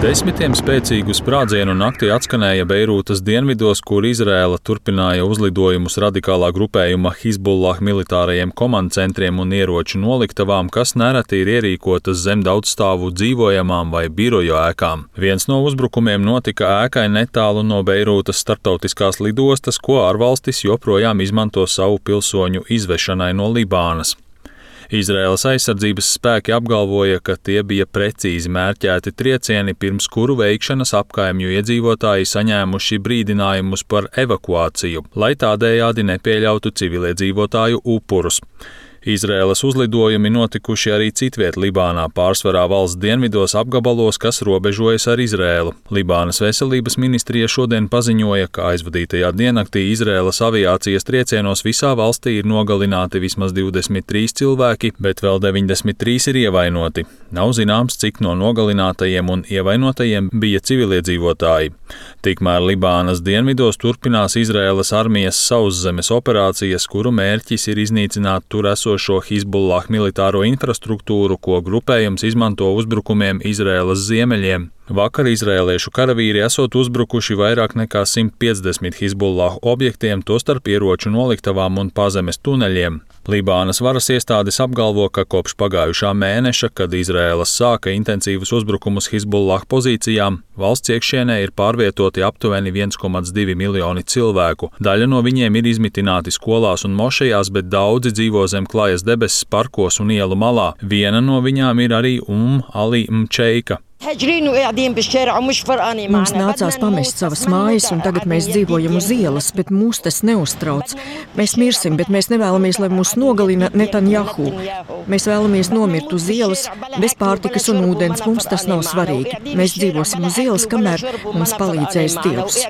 Desmitiem spēcīgu sprādzienu naktī atskanēja Beirūtas dienvidos, kur Izraēla turpināja uzlidojumus radikālā grupējuma Hizbullah militārajiem komandcentriem un ieroču noliktavām, kas nereti ir ierīkotas zem daudzstāvu dzīvojamām vai biroju ēkām. Viens no uzbrukumiem notika ēkai netālu no Beirūtas starptautiskās lidostas, ko ārvalstis joprojām izmanto savu pilsoņu izvešanai no Libānas. Izraēlas aizsardzības spēki apgalvoja, ka tie bija precīzi mērķēti triecieni, pirms kuru veikšanas apkaimju iedzīvotāji saņēmuši brīdinājumus par evakuāciju, lai tādējādi nepieļautu civiliedzīvotāju upurus. Izraēlas uzlidojumi notikuši arī citviet Libānā, pārsvarā valsts dienvidos apgabalos, kas robežojas ar Izraēlu. Libānas veselības ministrija šodien paziņoja, ka aizvadītajā diennaktī Izraēlas aviācijas triecienos visā valstī ir nogalināti vismaz 23 cilvēki, bet vēl 93 ir ievainoti. Nav zināms, cik no nogalinātajiem un ievainotajiem bija civiliedzīvotāji. Tikmēr Libānas dienvidos turpinās Izraēlas armijas sauszemes operācijas, kuru mērķis ir iznīcināt tur esošo Hizbullah militāro infrastruktūru, ko grupējums izmanto uzbrukumiem Izraēlas ziemeļiem. Vakar izraēliešu karavīri esot uzbrukuši vairāk nekā 150 Hizbullah objektiem, tostarp ieroču noliktavām un pazemes tuneļiem. Libānas varas iestādes apgalvo, ka kopš pagājušā mēneša, kad Izraēlas sāka intensīvus uzbrukumus Hizbullah pozīcijām, valsts iekšienē ir pārvietoti aptuveni 1,2 miljoni cilvēku. Daļa no viņiem ir izmitināti skolās un mošejās, bet daudzi dzīvo zem klājas debesis parkos un ielu malā. Viena no viņām ir arī Ali Mčeika. Mums nācās pamest savas mājas, un tagad mēs dzīvojam uz ielas, bet mūs tas neuztrauc. Mēs mirsim, bet mēs nevēlamies, lai mūs nogalina Netanjahu. Mēs vēlamies nomirt uz ielas, bez pārtikas un ūdens. Mums tas nav svarīgi. Mēs dzīvosim uz ielas, kamēr mums palīdzēs Dievs.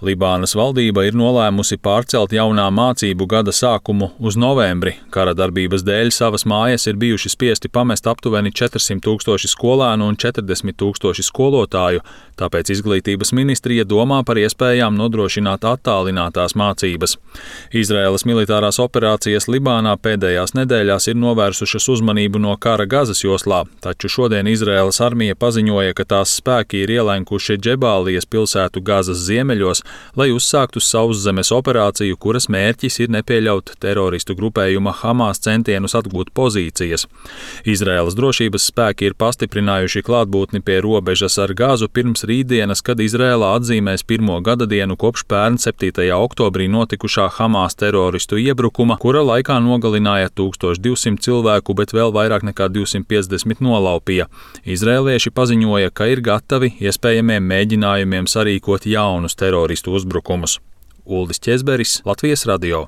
Libānas valdība ir nolēmusi pārcelt jaunā mācību gada sākumu uz novembri. Kara darbības dēļ savas mājas ir bijuši spiesti pamest aptuveni 400 000 skolēnu un 40 000 skolotāju, tāpēc izglītības ministrija domā par iespējām nodrošināt attālinātās mācības. Izraēlas militārās operācijas Libānā pēdējās nedēļās ir novērsušas uzmanību no kara Gazas joslā, taču šodien Izraēlas armija paziņoja, ka tās spēki ir ielēkuši Džebālijas pilsētu Gazas ziemeļos, lai uzsāktu sauszemes operāciju, kuras mērķis ir nepieļaut teroristu grupējuma Hamas centienus atgūt pozīcijas. Izraēlas drošības spēki ir pastiprinājuši klātbūtni pie robežas ar Gazu pirms rītdienas, kad Izraēlā atzīmēs pirmo gadadienu kopš pērn 7. oktobrī notikušā Hamas teroristu iebrukuma, kura laikā nogalināja 1200 cilvēku, bet vēl vairāk nekā 250 nolaupīja. Izraēlieši paziņoja, ka ir gatavi iespējamiem mēģinājumiem sarīkot jaunus teroristu uzbrukumus. Uldis Ķezberis, Latvijas radio.